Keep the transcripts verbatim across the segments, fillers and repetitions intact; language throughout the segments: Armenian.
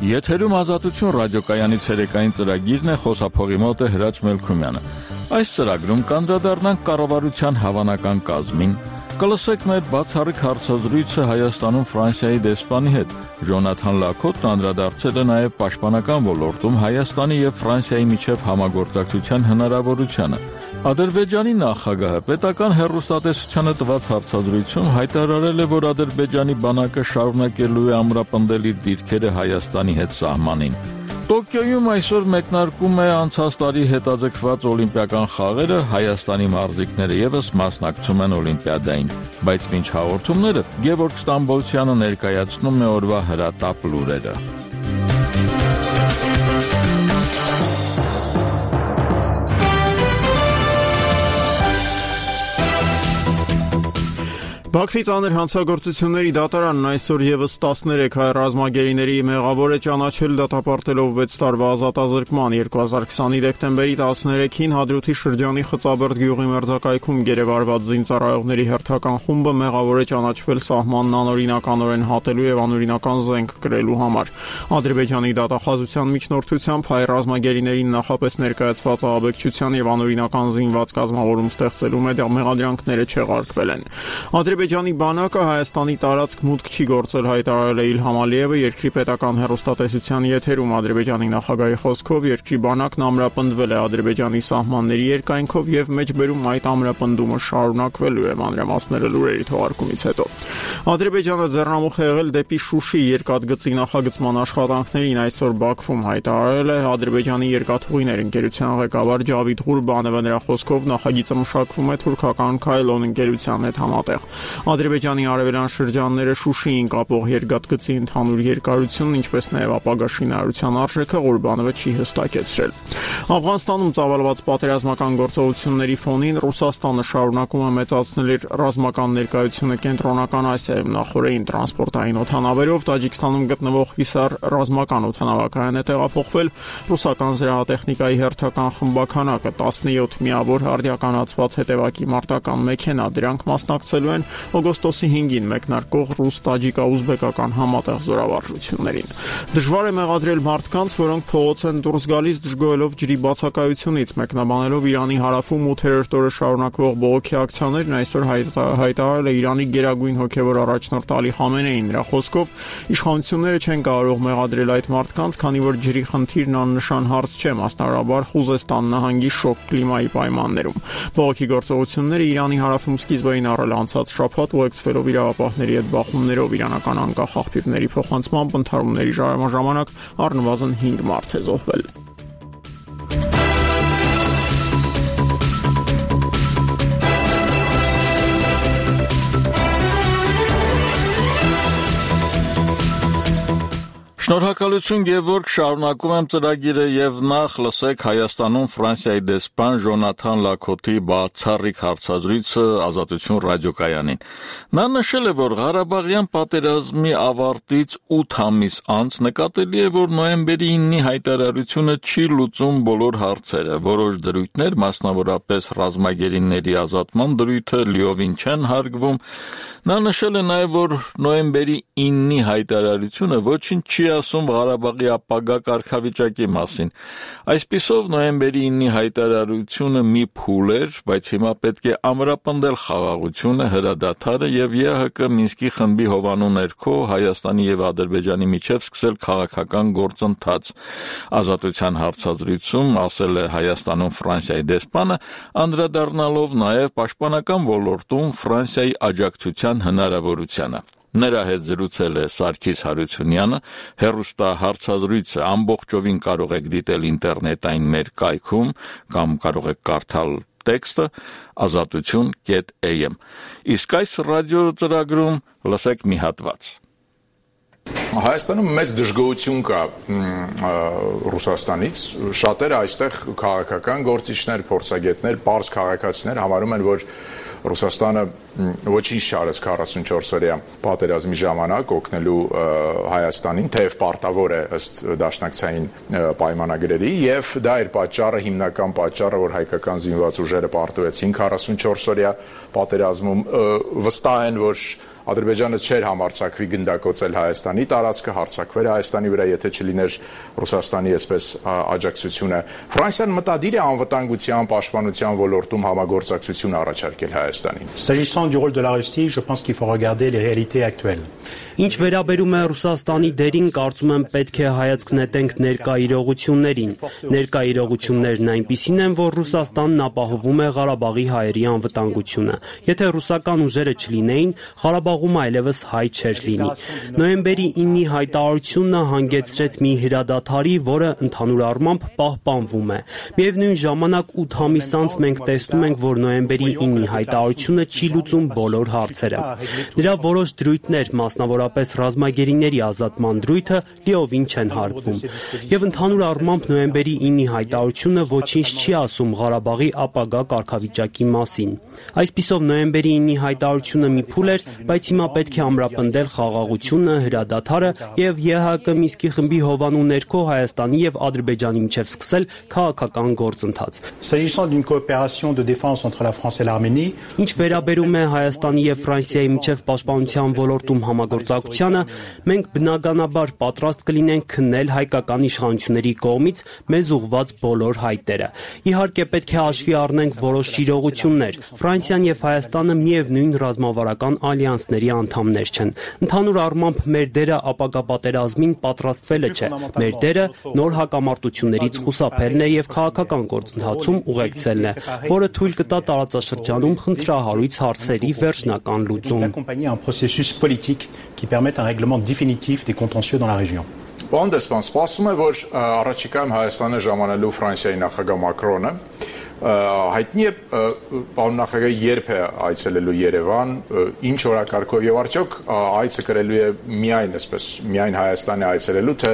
Եթերում Ազատություն ռադիոկայանի ցերեկային ծրագիրն է, խոսափողի մոտ է Հրաչ Մելքումյանը։ Այս ծրագրում կանդրադառնանք կառավարության հավանական կազմին, կլսեք մեր բացառիկ հարցազրույցը Հայաստանում Ֆրանսիայի դեսպանի հետ։ Ժոնաթան Լաքոթն անդրադարձել է նաև պաշտպանական ոլորտում Հայաստանի եւ Ֆրանսիայի միջև համագործակցության հնարավորությանը։ Ադրբեջանի նախագահը պետական հեռուստատեսությանը տված հարցազրույցում հայտարարել է, որ Ադրբեջանի բանակը շարունակելու է ամրապնդել իր դիրքերը Հայաստանի հետ սահմանին։ Տոկիոյում այսօր մեկնարկում է անցած տարի հետաձգված օլիմպիական խաղերը, Հայաստանի մարզիկները ևս մասնակցում են օլիմպիադային, բայց մինչ հաղորդումները Գևորգ Ստամբոլցյանը ներկայացնում է օրվա հրատապ լուրերը։ Բաքվի ծանր հանցագործությունների դատարանն այսօր ևս տասներեք հայ ռազմագերիների մեղավոր է ճանաչել դատապարտելով վեց տարվա ազատազրկման։ երկու հազար քսանի դեկտեմբերի տասներեքին Հադրութի շրջանի Խծաբերդ գյուղի մերձակայքում գերեվարված զինծառայողների հերթական խումբը մեղավոր է ճանաչվել սահմանն անօրինականորեն հատելու եւ անօրինական զենք կրելու համար։ Ադրբեջանի դատախազության միջնորդությամբ հայ ռազմագերիներին նախապես ներկայացված ահաբեկչության եւ անօրինական զինված կազմավորում ստեղծելու մեղադրանքները չեղարկվել են։ Ադրբեջանի բանակը Հայաստանի տարածք մուտք չի գործել, հայտարարել է Իլհամ Ալիևը երկրի պետական հեռուստատեսության եթերում։ Ադրբեջանի նախագահի խոսքով երկրի բանակն ամրապնդվել է Ադրբեջանի սահմանների երկայնքով եւ մեջբերում այդ ամրապնդումը շարունակվելու է, մանրամասները լուրերի թողարկումից հետո։ Ադրբեջանը ձեռնամուխ է եղել դեպի Շուշի երկաթգծի նախագծման աշխատանքներին, այսօր Բաքվում հայտարարել է Ադրբեջանի երկաթուղիներ ընկերության ղեկավար Ջավիդ Ղուրբանովը։ Նրա խոսքով նախագիծը մշակվում է թուրքական Քայլոն ընկերության հետ համատեղ։ Ադրբեջանի արևելյան շրջանները Շուշիին կապող երկաթգծի ընդհանուր երկարությունն, ինչպես նաև ապագա շինարարության արժեքը Ղուրբանովը չի հստակեցրել։ Աֆղանստանում ծավալված պատերազմական գործողությունների ֆոնին Ռուսաստանը շարունակում է մեծացնել իր ռազմական ներկայությունը Կենտրոնական Ասիայում։ Նախորդին տրանսպորտային օդանավերով Տաջիկստանում գտնվող Հիսար ռազմական օդանավակայան է տեղափոխվել ռուսական զրահատեխնիկայի հերթական խմբականակը, տասնյոթ միավոր արդիականացված հետևակի մարտական մեքենա։ Դրանք մասնակցելու են օգոստոսի հինգին մեկնարկող ռուս-տաջիկա-ուզբեկական համատեղ զորավարժություններին։ Դժվար է մեղադրել մարդկանց, որոնք փողոց են դուրս գալիս դժգոհելով ջրի բացակայությունից, մեկնաբանելով Իրանի հարավում ութերորդ օրը շարունակվող բողոքի ակցիաներն, այսօր հայտարարել է Իրանի գերագույն հոգևոր առաջնորդ Ալի Խամենեին։ Նրա խոսքով իշխանությունները չեն կարող մեղադրել այդ մարդկանց, քանի որ ջրի խնդիրն աննշան հարց չէ, մասնավորաբար Խուզեստան նահանգի շոգ կլիմայի պայմաններում։ Բողոքի գործողությունները Իրանի հարավում սկիզբ էին առել անցած շաբաթ, ուղեկցվելով իրավապահների հետ բախումներով, իրանական անկախ աղբյուրների փոխանցմամբ ընդհարումների ժամանակ առնվազն հինգ մարդ է զոհվել։ Շնորհակալություն Գևորգ, շարունակում եմ ծրագիրը եւ նախ լսեք Հայաստանում Ֆրանսիայի դեսպան Ժոնաթան Լաքոթի բացառիկ հարցազրույցը Ազատություն ռադիոկայանին։ Նա նշել է, որ Ղարաբաղյան պատերազմի ավարտից ութ ամիս անց նկատելի է, որ նոյեմբերի իննի հայտարարությունը չի լուծում բոլոր հարցերը։ Որոշ դրույթներ, մասնավորապես ռազմագերիների ազատման դրույթը, լիովին չեն հարգվում։ Նա նշել է նաև, որ նոյեմբերի իննի հայտարարությունը ոչինչ չի ասում Ղարաբաղի ապագա կարգավիճակի մասին։ Այսպիսով նոյեմբերի իննի հայտարարությունը մի փուլ էր, բայց հիմա պետք է ամրապնդել խաղաղությունը, հրադադարը եւ ԵՀԿ Մինսկի խմբի հովանու ներքո Հայաստանի եւ Ադրբեջանի միջև սկսել քաղաքական գործընթաց։ Ազատության հարցազրույցում ասել է Հայաստանում Ֆրանսիայի դեսպանը, անդրադառնալով նաև պաշտպանական ոլորտում Ֆրանսիայի աջակցության հնարավորությանը։ Նրա հետ զրուցել է Սարգիս Հարությունյանը, հեռուստահարցազրույցը ամբողջովին կարող եք դիտել ինտերնետային մեր կայքում կամ կարող եք կարդալ տեքստը ազատություն կետ am։ Իսկ այս ռադիո ծրագրում լսեք մի հատված։ Հայաստանում մեծ դժգոհություն կա Ռուսաստանից, շատերը այստեղ քաղաքական գործիչներ, փորձագետներ, պարզ քաղաքացիներ համարում են, որ Ռուսաստանը ոչինչ չարեց քառասունչորս օրյա պատերազմի ժամանակ օգնելու Հայաստանին, թեև պարտավոր է ըստ դաշնակցային պայմանագրերի, եւ դա էր պատճառը, հիմնական պատճառը, որ հայկական զինված ուժերը պարտվեցին քառասունչորս օրյա պատերազմում, վստահ են, որ Ադրբեջանը չէր համարձակվի գնդակոծել Հայաստանի տարածքը, հարձակվեր Հայաստանի վրա, եթե չլիներ Ռուսաստանի այսպես աջակցությունը։ Ֆրանսիան մտադիր է անվտանգության, պաշտպանության ոլորտում համագործակցություն առաջարկել Հայաստանին։ S'agissant du rôle de la Russie, je pense qu'il faut regarder les réalités actuelles. Ինչ վերաբերում է Ռուսաստանի դերին, կարծում եմ պետք է հայացք նետենք ներկա իրողություններին։ Ներկա իրողություններն այնպիսին են, որ Ռուսաստանն ապահովում է Ղարաբաղի հայերի անվտանգությունը։ Եթե ռուսական ուժերը չլինեին, Ղարաբաղում այլևս հայ չէր լինի։ Նոյեմբերի իննի հայտարարությունը հանգեցրեց մի հրադադարի, որը ընդհանուր առմամբ պահպանվում է։ Միևնույն ժամանակ ութ ամիս անց մենք տեսնում ենք, որ նոյեմբերի իննի հայտարարությունը չի լուծում բոլոր հարցերը։ Դրա որոշ դրույթներ, մասնավորապես պես ռազմագերիների ազատման դրույթը լիովին չեն հարգվում։ Եվ ընդհանուր առմամբ նոյեմբերի իննի հայտարարությունը ոչինչ չի ասում Ղարաբաղի ապագա կարգավիճակի մասին։ Այսպիսով նոյեմբերի իննի հայտարարությունը մի փուլ էր, բայց հիմա պետք է ամրապնդել խաղաղությունը, հրադադարը եւ ԵՀԿ Մինսկի խմբի հովանու ներքո Հայաստանի եւ Ադրբեջանի միջև սկսել քաղաքական գործընթաց։ S'agissant d'une coopération de défense entre la France et l'Arménie, ինչ վերաբերում է Հայաստանի եւ Ֆրանսիայի միջև պաշտպանության ոլորտում համագործակցությանը, մենք բնականաբար պատրաստ կլինենք քննել հայկական իշխանությունների կողմից մեզ ուղղված բոլոր հայտերը։ Իհարկե պետք է հաշվի առնենք որոշ իրողություններ։ Ֆրանսիան եւ Հայաստանը միևնույն ռազմավարական ալյանսների անդամներ չեն։ Ընդհանուր առմամբ մեր դերը ապագա պատերազմին պատրաստվելը չէ։ Մեր դերը նոր հակամարտություններից խուսափելն է եւ քաղաքական գործընթացում ուղեկցելն է, որը թույլ կտա տարածաշրջանում խնդրահարույց հարցերի վերջնական լուծում։ qui permettent un règlement définitif des contentieux dans la région. Պարոն դեսպան, սպասվում է, որ առաջիկայում Հայաստանը ժամանելու Ֆրանսիայի նախագահ Մակրոնը հայտնի է պարոն նախագահը երբ է այցելելու Երևան, ինչ օրակարգով եւ արդյոք այցը կրելու է միայն այսպես միայն Հայաստանի այցելելու, թե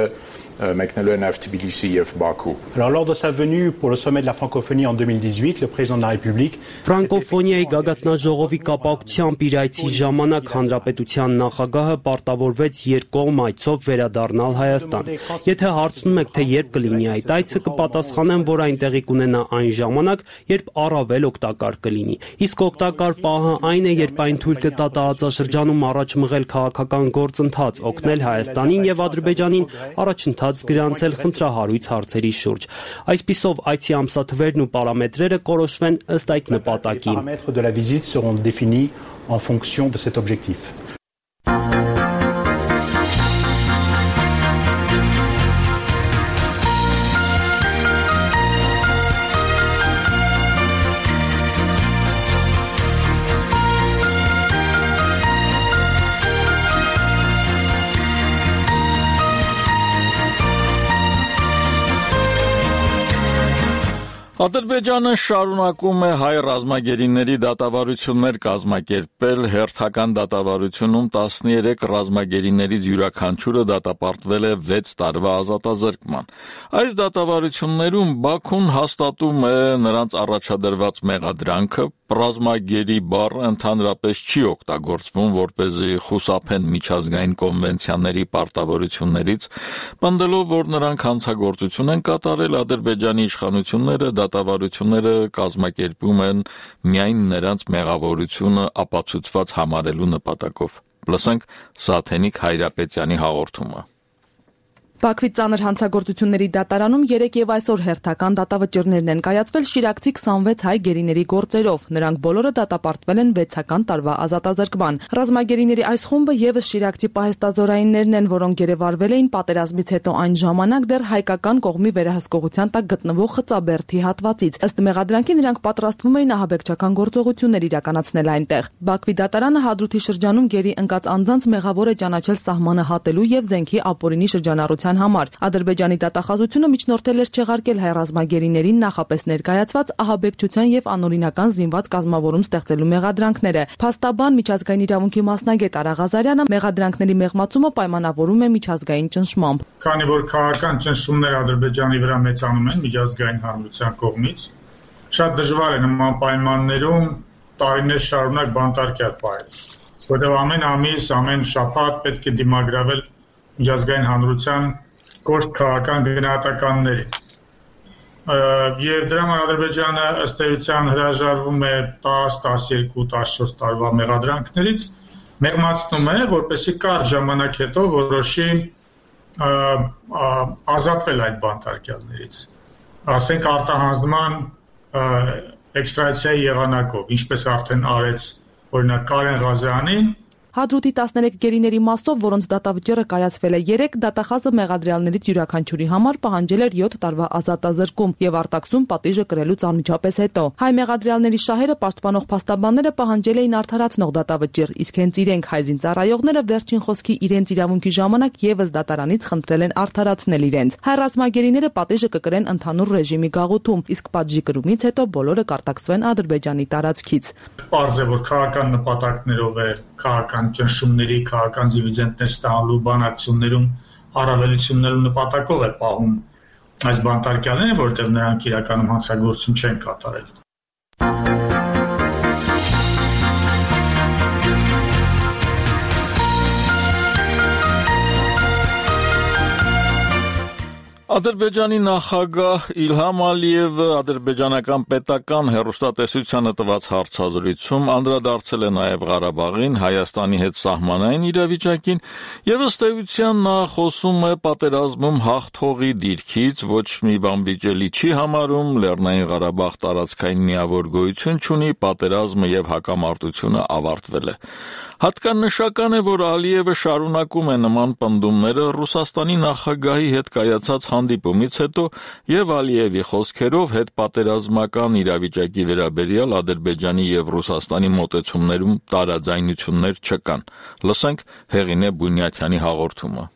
մեկնելու է նաև Թբիլիսի եւ Բաքու։ Alors lors de sa venue pour le sommet de la francophonie en deux mille dix-huit, le président de la République Ֆրանկոֆոնիայի գագաթնաժողովի կապակցությամբ իր այցի ժամանակ հանրապետության նախագահը պարտավորվեց երկկողմ այցով վերադառնալ Հայաստան։ Եթե հարցնում եք, թե երբ կլինի այդ այցը, կպատասխանեմ, որ այնտեղի կունենա այն ժամանակ, երբ առավել օգտակար կլինի։ Իսկ օգտակար պահը այն է, երբ այն թույլ կտա տարածաշրջանում առաջ մղել քաղաքական գործընթաց, օգնել Հայաստանին եւ Ադրբեջանին առաջընթաց գրանցել խնդրահարույց հարցերի շուրջ։ Այսպիսով այցի ամսաթվերն ու պարամետրերը կորոշվեն ըստ այդ նպատակի։ Les paramètres de la visite seront définis en fonction de cet objectif. Ադրբեջանը շարունակում է հայ ռազմագերիների դատավարություններ կազմակերպել, հերթական դատավարությունում տասներեք ռազմագերիներից յուրաքանչյուրը դատապարտվել է վեց տարվա ազատազրկման։ Այս դատավարություններում Բաքուն հաստատում է նրանց առաջադրված մեղադրանքը, ռազմագերի բառը ընդհանրապես չի օգտագործվում, որպեսզի խուսափեն միջազգային կոնվենցիաների պարտավորություններից, պնդելով, որ նրանք հանցագործություն են կատարել, Ադրբեջանի իշխանությունները դատավարությունները կազմակերպում են միայն նրանց մեղավորությունը ապացուցված համարելու նպատակով։ Լսենք Սաթենիկ Հայրապետյանի հաղորդումը։ Բաքվի ծանր հանցագործությունների դատարանում երեկ եւ այսօր հերթական դատավճիռներն են կայացվել շիրակցի քսանվեց հայ գերիների գործերով։ Նրանք բոլորը դատապարտվել են վեցական տարվա ազատազրկման։ Ռազմագերիների այս խումբը եւս շիրակցի պահեստազորայիններն են, որոնք գերեվարվել էին պատերազմից հետո այն ժամանակ դեռ հայկական կողմի վերահսկողության տակ գտնվող Խծաբերդի հատվածից։ Ըստ մեղադրանքի նրանք պատրաստվում էին ահաբեկչական գործողություններ իրականացնել այնտեղ։ Բաքվի դատարանը Հադրութի շրջանում գերի ընկած անձանց մեղավոր է ճանաչել սահմանը հատելու եւ զենքի ապօրինի շրջանառության համար։ Ադրբեջանի դատախազությունը միջնորդել էր չեղարկել հայ ռազմագերիներին նախապես ներկայացված ահաբեկչության եւ անօրինական զինված կազմավորում ստեղծելու մեղադրանքները։ Փաստաբան միջազգային իրավունքի մասնագետ Արա Ղազարյանը մեղադրանքների մեղմացումը պայմանավորում է միջազգային ճնշմամբ։ Քանի որ քաղաքական ճնշումները Ադրբեջանի վրա մեծանում են միջազգային հանրության կողմից, շատ դժվար է նման պայմաններում տարիներ շարունակ բանտարկյալ պահել, որտեղ ամեն ամիս, ամեն շաբաթ պետք է դիմագրավել միջազգային հանրության կոշտ քաղաքական գնահատականների։ Եվ դրա համար Ադրբեջանը ըստ էության հրաժարվում է տասը, տասներկու, տասնչորս տարվա մեղադրանքներից, մեղմացնում է, որպեսզի կարճ ժամանակ հետո որոշի ազատվել այդ բանտարկյալներից, ասենք արտահանձնման էքստրադիցիայի եղանակով, ինչպես արդեն արեց օրինակ Կարեն Ղազյանին, Հադրութի տասներեք գերիների մասով, որոնց դատավճիռը կայացվել է երեք, դատախազը մեղադրյալներից յուրաքանչյուրի համար պահանջել էր յոթ տարվա ազատազրկում եւ արտաքսում պատիժը կրելուց անմիջապես հետո։ Հայ մեղադրյալների շահերը պաշտպանող փաստաբանները պահանջել էին արդարացնող դատավճիռ, իսկ հենց իրենք հայ զինծառայողները վերջին խոսքի իրենց իրավունքի ժամանակ եւս դատարանից խնդրել են արդարացնել իրենց։ Հայ ռազմագերիները պատիժը կկրեն ընդհանուր ռեժիմի գաղութում, իսկ պատժի կրումից հետո բոլորը կարտաքսվեն Ադրբեջանի տարածքից։ Պարզ է, որ քաղաքական նպատակներով է քաղաքական ճնշումների, քաղաքական դիվիդենտներ ստանալու բանակցություններում առավելություններու նպատակով է պահում այս բանտարկյալները, որտեղ նրանք իրականում հանցագործություն չեն կատարել։ Ադրբեջանի նախագահ Իլհամ Ալիևը ադրբեջանական պետական հեռուստատեսությանը տված հարցազրույցում անդրադարձել է նաև Ղարաբաղին, Հայաստանի հետ սահմանային իրավիճակին եւ ըստ էության նա խոսում է պատերազմում հաղթողի դիրքից, ոչ մի բան վիճելի չի համարում, Լեռնային Ղարաբաղ տարածքային միավոր գոյություն չունի, պատերազմը եւ հակամարտությունը ավարտվել է։ Հատկանշական է, որ Ալիևը շարունակում է նման պնդումները Ռուսաստանի նախագահի հետ կայացած հանդիպումից հետո եւ Ալիևի խոսքերով հետպատերազմական իրավիճակի վերաբերյալ Ադրբեջանի եւ Ռուսաստանի մոտեցումներում տարաձայնություններ չկան։ Լսենք Հեղինե Բունյաթյանի հաղորդումը։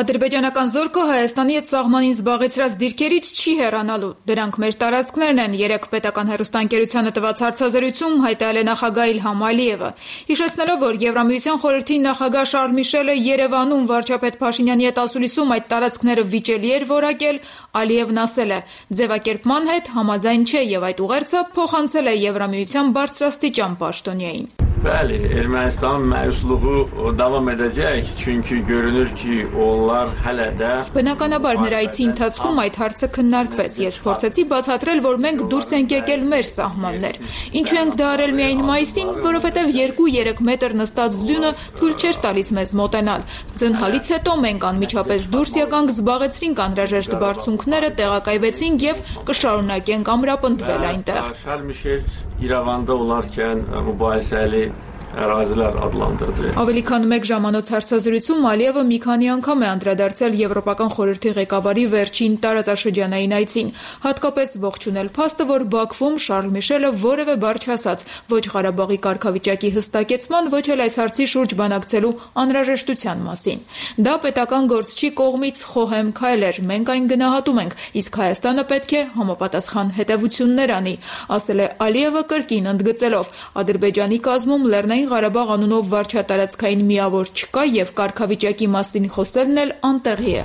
Ադրբեջանական զորքը Հայաստանի հետ սահմանին զբաղեցրած դիրքերից չի հեռանալու։ Դրանք մեր տարածքներն են, երեք պետական հեռուստաընկերությանը տված հարցազրույցում հայտարարել է նախագահ Իլհամ Ալիևը։ Հիշեցնելով, որ Եվրամիության խորհրդի նախագահ Շարլ Միշելը Երևանում վարչապետ Փաշինյանի հետ ասուլիսում այդ տարածքները վիճելի էր որակել, Ալիևն ասել է. ձևակերպման հետ համաձայն չէ եւ այդ ուղերձը փոխանցել է Եվրամիության բարձրաստիճան պաշտոնյային։ Bəli, Ermənistan məyusluğu davam edəcək, çünki görünür ki, onlar hələ də Բնականաբար նրա այցի ընթացքում այդ հարցը քննարկվեց։ Ես փորձեցի բացատրել, որ մենք դուրս ենք եկել մեր սահմաններ։ Ինչու ենք դա արել միայն մայիսին, որովհետև երկու-երեք մետր նստած ձյունը թույլ չէր տալիս մեզ մոտենալ։ Ձնհալից հետո մենք անմիջապես դուրս եկանք, զբաղեցրինք անհրաժեշտ բարձունքները, տեղակայվեցինք եւ կշարունակենք ամրապնդվել այնտեղ։ İrəvanda olarkən mübahisəli ərazilər adlandırdı. Ավելի քան մեկ ժամանոց հարցազրույցում Ալիևը մի քանի անգամ է անդրադարձել Եվրոպական խորհրդի ղեկավարի վերջին տարածաշրջանային այցին, հատկապես ողջունել փաստը, որ Բաքվում Շարլ Միշելը որևէ բառ չասաց ոչ Ղարաբաղի կարգավիճակի հստակեցման, ոչ էլ այս հարցի շուրջ բանակցելու անհրաժեշտության մասին։ Դա պետական գործչի կողմից խոհեմ քայլ էր, մենք այն գնահատում ենք, իսկ Հայաստանը պետք է համապատասխան հետևություններ անի, ասել է Ալիևը կրկին ընդգծելով, Ադրբեջանի կազմում Լեռնային Ղարաբաղ անունով վարչատարածքային միավոր չկա եւ կարգավիճակի մասին խոսելն էլ անտեղի է։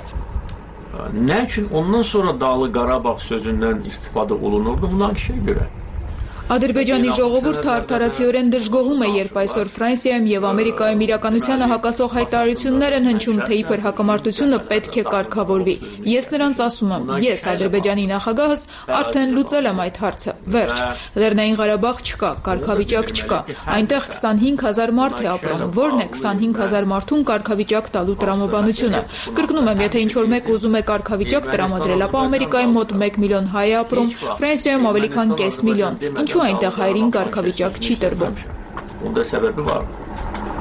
Nə üçün ondan sonra Dağlı Qarabağ sözündən istifadə olunurdu buna kişiyə görə? Ադրբեջանի ժողովուրդը արդարացիորեն դժգոհում է, երբ այսօր Ֆրանսիայում եւ Ամերիկայում իրականությանը հակասող հայտարարություններ են հնչում, թե իբր հակամարտությունը պետք է կարգավորվի։ Ես նրանց ասում եմ, ես Ադրբեջանի նախագահս արդեն լուծել եմ այդ հարցը։ Վերջ։ Լեռնային Ղարաբաղ չկա, կարգավիճակ չկա։ Այնտեղ քսանհինգ հազար մարդ է ապրում։ Որն է քսանհինգ հազար մարդուն կարգավիճակ տալու տրամաբանությունը։ Կրկնում եմ, եթե ինչ-որ մեկ ուզում է կարգավիճակ տրամադրել, ապա Ամերիկայում մոտ մեկ միլիոն հայ է ապրում, Ֆրանսիայում ավելի քան կես միլիոն։ Ինչու այնտեղ հայերին կարգավիճակ չի տրվում։ Ոնდა səbəbi var.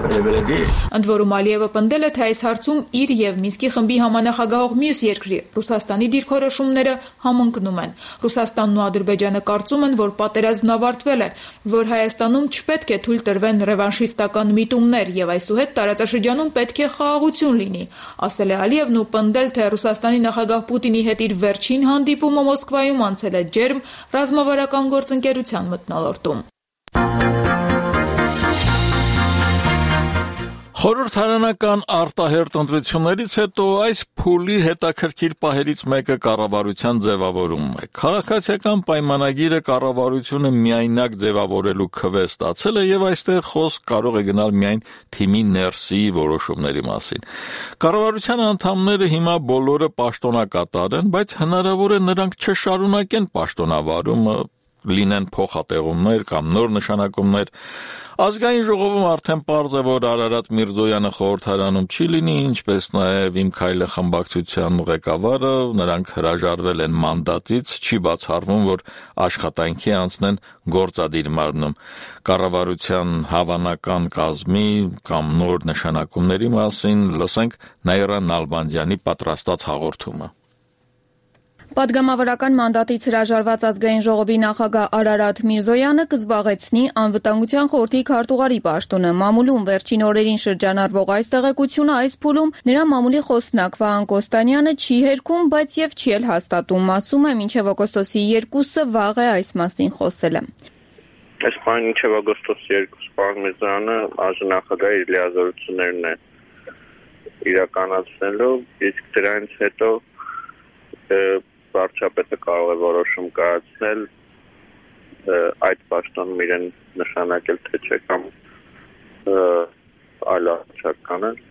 Ընդ որում Ալիևը պնդել է, թե այս հարցում իր եւ Մինսկի խմբի համանախագահող մյուս երկրի Ռուսաստանի դիրքորոշումները համընկնում են։ Ռուսաստանն ու Ադրբեջանը կարծում են, որ պատերազմն ավարտվել է, որ Հայաստանում չպետք է թույլ տրվեն ռևանշիստական միտումներ եւ այսուհետ տարածաշրջանում պետք է խաղաղություն լինի, ասել է Ալիևն ու պնդել, թե Ռուսաստանի նախագահ Պուտինի հետ իր վերջին հանդիպումը Մոսկվայում անցել է ջերմ ռազմավարական գործընկերության մթնոլորտում։ Խորհրդարանական արտահերթ ընտրություններից հետո այս փուլի հետաքրքիր պահերից մեկը կառավարության ձևավորումն է։ Քաղաքացիական պայմանագիրը կառավարությունը միայնակ ձևավորելու քվե ստացել է եւ այստեղ խոսք կարող է գնալ միայն թիմի ներսի որոշումների մասին։ Կառավարության անդամները հիմա բոլորը պաշտոնակատար են, բայց հնարավոր է նրանք չշարունակեն պաշտոնավարումը, լինեն փոխատեղումներ կամ նոր նշանակումներ։ Ազգային ժողովում արդեն պարզ է, որ Արարատ Միրզոյանը խորհրդարանում չի լինի, ինչպես նաև Իմ քայլը խմբակցության ղեկավարը, նրանք հրաժարվել են մանդատից, չի բացառվում, որ աշխատանքի անցնեն գործադիր մարմնում։ Կառավարության հավանական կազմի կամ նոր նշանակումների մասին լսենք Նաիրա Նալբանդյանի պատրաստած հաղորդումը։ Պատգամավորական մանդատից հրաժարված ազգային ժողովի նախագահ Արարատ Միրզոյանը կզբաղեցնի անվտանգության խորհրդի քարտուղարի պաշտոնը։ Մամուլում վերջին օրերին շրջանառվող այս տեղեկությունը այս փուլում նրա մամուլի խոսնակ Վահան Կոստանյանը չի հերքում, բայց եւ չի էլ հաստատում, ասում է մինչեւ օգոստոսի երկուսը վաղ է այս մասին խոսել է։ Այս բանը մինչեւ օգոստոսի երկուսը պարոն Միրզոյանը արժանախագահի իր լիազորություններն է իրականացնելու, իսկ դրանից հետո վարչապետը կարող է որոշում կայացնել այդ պաշտոնում իրեն նշանակել թե չէ կամ այլ առաջարկ անել։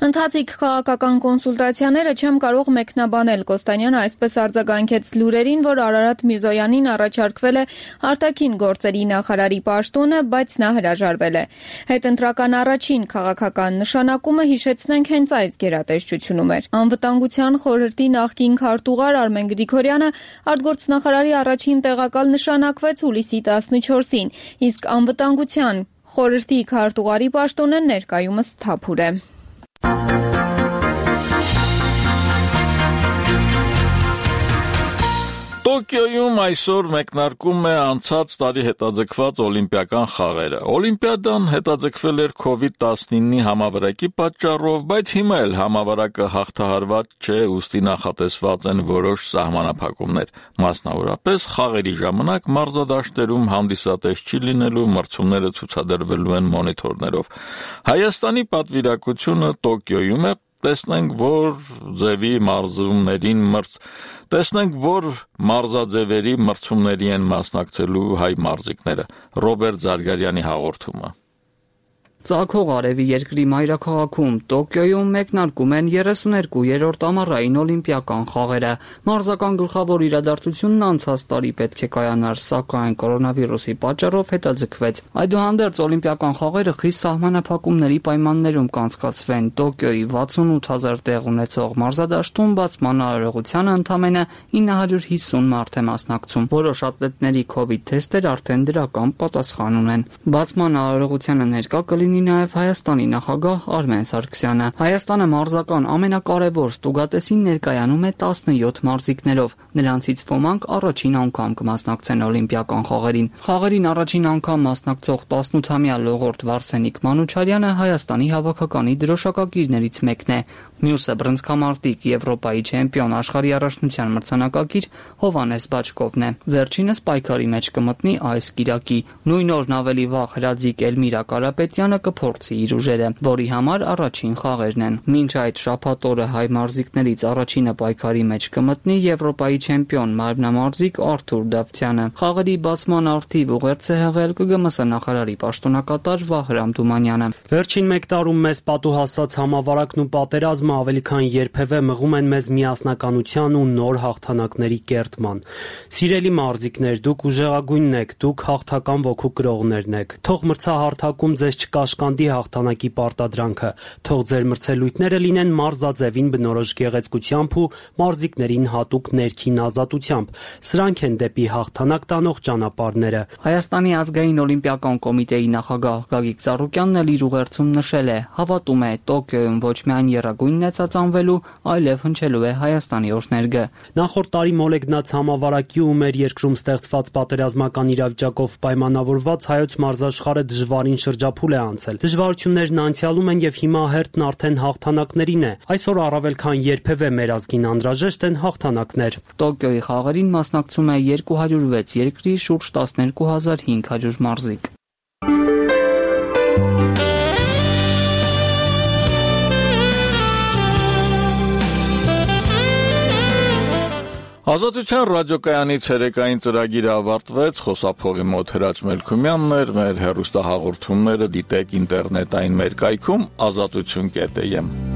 Ընթացիկ քաղաքական կոնսուլտացիաները չեմ կարող մեկնաբանել, Կոստանյանը այսպես արձագանքեց լուրերին, որ Արարատ Միրզոյանին առաջարկվել է արտաքին գործերի նախարարի պաշտոնը, բայց նա հրաժարվել է։ Հետընտրական առաջին քաղաքական նշանակումը, հիշեցնենք, հենց այս գերատեսչությունում էր։ Անվտանգության խորհրդի նախկին քարտուղար Արմեն Գրիգորյանը արտգործնախարարի առաջին տեղակալ նշանակվեց հուլիսի տասնչորսին, իսկ անվտանգության խորհրդի քարտուղարի պաշտոնը ներկայումս թափուր է։ Տոկիոյում այսօր մեկնարկում է անցած տարի հետաձգված օլիմպիական խաղերը։ Օլիմպիադան հետաձգվել էր քովիդ տասնինի համավարակի պատճառով, բայց հիմա էլ համավարակը հաղթահարված չէ, ուստի նախատեսված են որոշ սահմանափակումներ։ Մասնավորապես խաղերի ժամանակ մարզադաշտերում հանդիսատես չի լինելու, մրցումները ցուցադրվելու են մոնիտորներով։ Հայաստանի պատվիրակությունը Տոկիոյում է, տեսնենք, որ ձևի մարզումներին մրց տեսնենք, որ մարզաձևերի մրցումների են մասնակցելու հայ մարզիկները։ Ռոբերտ Զարգարյանի հաղորդումը։ Ծագող արևի երկրի մայրաքաղաքում Տոկիոյում մեկնարկում են երեսուներկուերորդ ամառային օլիմպիական խաղերը։ Մարզական գլխավոր իրադարձությունն անցած տարի պետք է կայանար, սակայն կորոնավիրուսի պատճառով հետաձգվեց։ Այդուհանդերձ օլիմպիական խաղերը խիստ սահմանափակումների պայմաններում կանցկացվեն։ Տոկիոյի վաթսունութ հազար տեղ ունեցող մարզադաշտում բացման արարողությանը ընդամենը ինը հարյուր հիսուն մարդ է մասնակցում։ Որոշ ատլետների քովիդ թեստեր արդեն դրական պատասխան ունեն։ Բացման արարողությանը ներկա կլինի նաև Հայաստանի նախագահ Արմեն Սարգսյանը։ Հայաստանը մարզական ամենակարևոր ստուգատեսին ներկայանում է տասնյոթ մարզիկներով, նրանցից ոմանք առաջին անգամ կմասնակցեն օլիմպիական խաղերին։ Խաղերին առաջին անգամ մասնակցող տասնութամյա լողորդ Վարսենիկ Մանուչարյանը Հայաստանի հավաքականի դրոշակակիրներից մեկն է։ Մյուսը բռնցքամարտիկ, Եվրոպայի չեմպիոն, աշխարհի առաջնության մրցանակակիր Հովհաննես Բաչկովն է։ Վերջինս պայքարի մեջ կմտնի այս կիրակի։ Նույն օրն ավելի վաղ հրաձիկ Էլմիրա Կարապետյանը կփորձի իր ուժերը, որի համար առաջին խաղերն են։ Մինչ այդ շաբաթ օրը հայ մարզիկներից առաջինը պայքարի մեջ կմտնի Եվրոպայի չեմպիոն մարմնամարզիկ Արթուր Դավթյանը։ Խաղերի բացման արդիվ ուղերձ է հղել Կ Գ M S նախարարի պաշտոնակատար Վահրամ Թումանյանը։ Վերջին մեկ տարում մեզ պատուհասած համավարակն ու պատերազմը ավելի քան երբևէ մղում են մեզ միասնականության ու նոր հաղթանակների կերտման։ Սիրելի մարզիկներ, դուք ուժեղագույնն եք, դուք հաղթական ոգու կրողներն եք։ Թող մրցահարթակում ձեզ չկաշկանդի հաղթանակի պարտադրանքը, թող ձեր մրցելույթները լինեն մարզաձևին բնորոշ գեղեցկությամբ ու մարզիկներին հատուկ ներքին ազատությամբ։ Սրանք են դեպի հաղթանակ տանող ճանապարհները։ Հայաստանի ազգային օլիմպիական կոմիտեի նախագահ Գագիկ Ծառուկյանն էլ իր ուղերձում նշել է, հավատում է Տոկիոյում ոչ միայն եռագույնն է ծածանվելու, այլև հնչելու է Հայաստանի օրհներգը։ Նախորդ տարի մոլեգնած համավարակի ու մեր երկրում ստեղծված պատերազմական իրավիճակով պայմանավորված հայոց մարզաշխարհը դժվարին շրջափուլ է անցել։ Դժվարություններն անցյալում են եւ հիմա հերթն արդեն հաղթանակներին է։ Այսօր առավել քան երբևէ մեր ազգին անհրաժեշտ են հաղթանակներ։ Տոկիոյի խաղերին մասնակցում է երկու հարյուր վեց երկրի շուրջ տասներկու հազար հինգ հարյուր մարզիկ։ Ազատության ռադիոկայանի ցերեկային ծրագիրը ավարտվեց, խոսափողի մոտ Հրաչ Մելքումյանն էր, մեր հեռուստահաղորդումները դիտեք ինտերնետային մեր կայքում ազատություն կետ է եմ